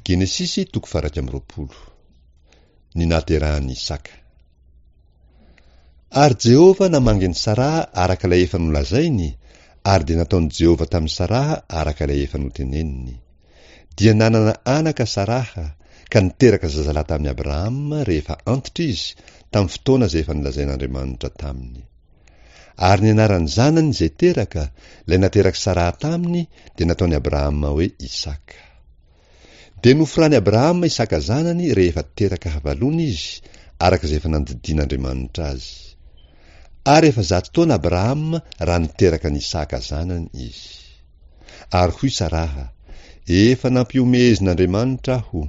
Genesisy toko faha 21. Ny nahaterahan'i Isaka. Ary Jehovah namangy an'i Saraha araka ilay efa nolazainy, ary dia nataon'i Jehovah tamin'i Saraha araka ilay efa noteneniny. Dia nanana anaka Saraha, ka niteraka zazalahy tamin'i Abrahama rehefa antitra izy, tamin'ny fotoana izay efa nolazain'Andriamanitra taminy. Ary ny anaran'ny zanany izay teraka, ilay naterak'i Saraha taminy, dia nataon'i Abrahama hoe Isaka. Dia noforan'i Abrahama Isaka zanany rehefa teraka havalona izy, araka izay efa nandidian'Andriamanitra azy. Ary efa zato taona Abrahama raha niteraka an'i Isaka zanany izy. Ary hoy Saraha, Efa nampihomehezin'Andriamanitra aho.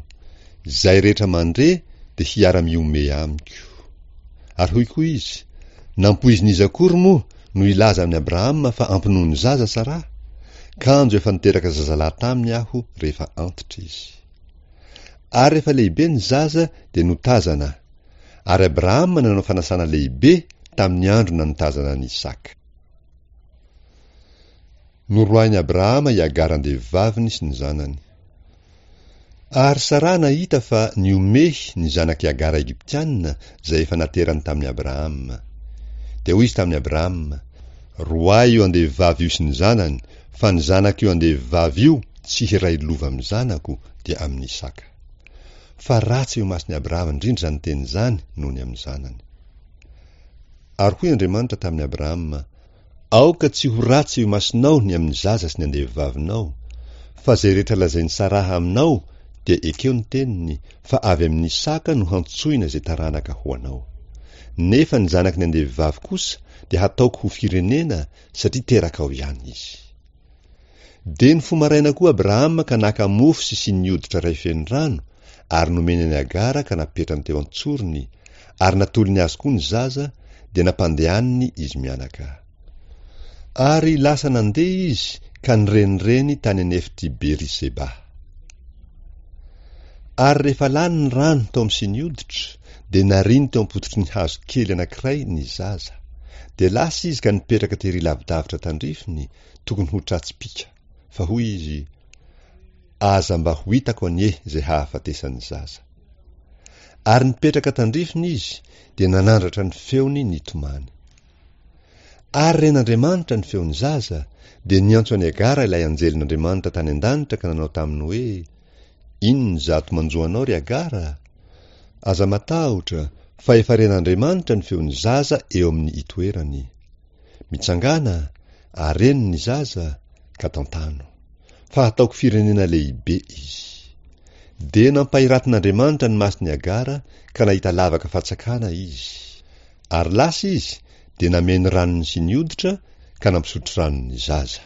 Izay rehetra mandre dia hiara-mihomehy amiko. Ary hoy koa izy, Nampoizin'iza akory moa no hilaza amin'i Abrahama fa ampinono zaza Saraha? Kanjo efa niteraka zazalahy taminy aho rehefa antitra izy. Ary rehefa lehibe ny zaza dia notazana, ary Abrahama nanao fanasana lehibe tamin'ny andro nanotazana an'i Isaka. Noroahin'i Abrahama i Agara andevovaviny sy ny zanany. Ary Saraha nahita fa nihomehy ny zanak'i Agara Egyptiana izay efa naterany tamin'i Abrahama. Dia hoy izy tamin'i Abrahama, Roahy io andevovavy io sy ny zanany, fa ny zanak'io andevovavy io tsy hiray lova amin'ny zanako, dia amin'i Isaka. Fa ratsy eo imason'i Abrahama indrindra izany teny izany noho ny amin'ny zanany. Ary hoy Andriamanitra tamin'i Abrahama, Aoka tsy ho ratsy eo imasonao ny amin'ny zaza sy ny andevovavinao, fa izay rehetra lazain'i Saraha aminao dia ekeo ny teniny, fa avy amin'i Isaka no hantsoina izay taranaka ho anao. Nefa ny zanaky ny andevovavy kosa dia hataoko ho firenena satria terakao ihany izy. Dia nifoha maraina koa Abrahama ka naka mofo sy siny hoditra iray feno rano, ary nomeny an'i Agara ka napetrany teo an-tsorony, ary natolony azy koa ny zaza, dia nampandehaniny izy mianaka. Ary lasa nandeha izy ka nirenireny tany an'efitr'i Beri-seba. Ary rehefa lany ny rano tao amin'ny siny hoditra, dia nariany teo am-pototry ny hazo kely anankiray ny zaza. Dia lasa izy ka nipetraka tery lavidavitra tandrifiny, tokony ho tra-tsipìka. Fa hoy izy, Aza mba ho hitako anie izay hahafatesan'ny zaza. Ary nipetraka tandrifiny izy, dia nanandratra ny feony nitomany. Ary ren'Andriamanitra ny feon'ny zaza, dia niantso an'i Agara ilay anjelin'Andriamanitra tany an-danitra ka nanao taminy hoe, Inona izato manjo anao, ry Agara? Aza matahotra, fa efa ren'Andriamanitra ny feon'ny zaza eo amin'ny itoerany. Mitsangàna, areno ny zaza, ka tantano. Fa hataoko firenena lehibe izy. Dia nampahiratin'Andriamanitra ny mason'i Agara ka nahita lavaka fatsakana izy. Ary lasa izy dia nameno ranony sy ny hoditra ka nampisotro rano ny zaza.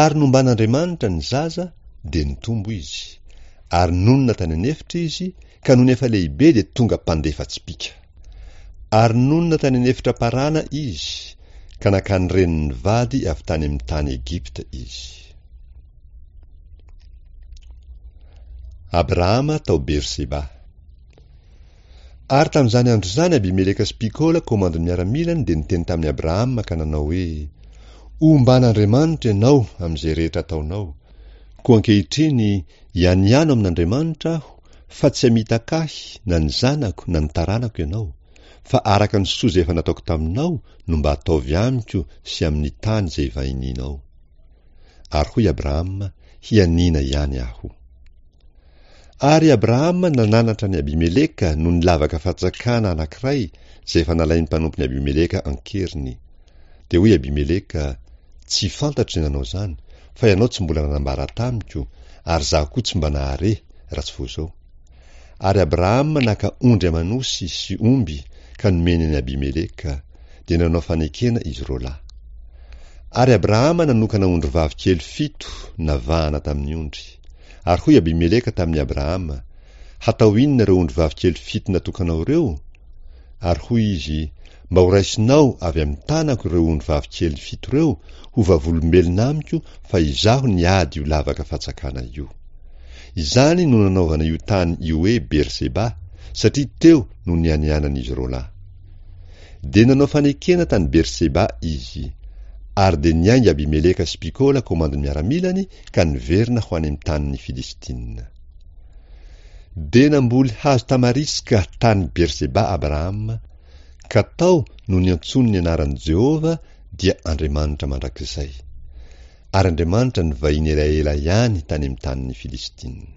Ary nomban'Andriamanitra ny zaza dia nitombo izy, ary nonina tany an'efitra izy, ka nony efa lehibe dia tonga mpandefa tsipìka. Ary nonina tany an'efitra Parana izy, ka nankany reniny vady avy tany amin'ny tany Egypta izy. Abrahama tao Berseba. Ary tamin'izany andro izany Abimeleka sy Pikola komandin'ny miaramilany dia niteny tamin'i Abrahama ka nanao hoe, Omban'Andriamanitra ianao amin'izay rehetra ataonao. Koa ankehitriny, ianiano amin'Andriamanitra aho, fa tsy hamitaka ahy na ny zanako na ny taranako ianao, fa araka ny soa izay efa nataoko taminao no mba ataovy amiko sy amin'ny tany izay ivahinianao. Ary hoy Abrahama, Hianiana ihany aho. Ary Abrahama nananatra an'i Abimeleka noho ny lavaka fantsakana anankiray izay efa nalain'ny mpanompon'i Abimeleka an-keriny. Dia hoy Abimeleka, Tsy fantatro izay nanao izany, fa ianao tsy mbola nanambara tamiko, ary izaho koa tsy mba nahare, raha tsy vao izao. Ary Abrahama naka ondry aman'osy sy omby ka nomeny an'i Abimeleka, dia nanao fanekena izy roalahy. Ary Abrahama nanokana ondrivavy kely fito navahana tamin'ny ondry. Ary hoy Abimeleka tamin'i Abrahama, Hatao inona ireo ondrivavy kely fito natokanao ireo? Ary hoy izy, Mba horaisinao avy amin'ny tanako ireo ondrivavy kely fito ireo ho vavolombelona amiko fa izaho niady io lavaka fatsakana io. Izany no nanaovana io tany io hoe Berseba, satria teo no nianianan'izy roalahy. Dia nanao fanekena tany Berseba izy. Ary dia niainga Abimeleka sy Pikola komandin'ny miaramilany ka niverina ho any amin'ny tanin'ny Filistina. Dia namboly hazo tamariska tany Berseba Abrahama, ka tao no niantsoany ny anaran'i Jehovah, dia Andriamanitra mandrakizay. Ary Andriamanitra nivahiny elaela ihany tany amin'ny tanin'ny Filistina.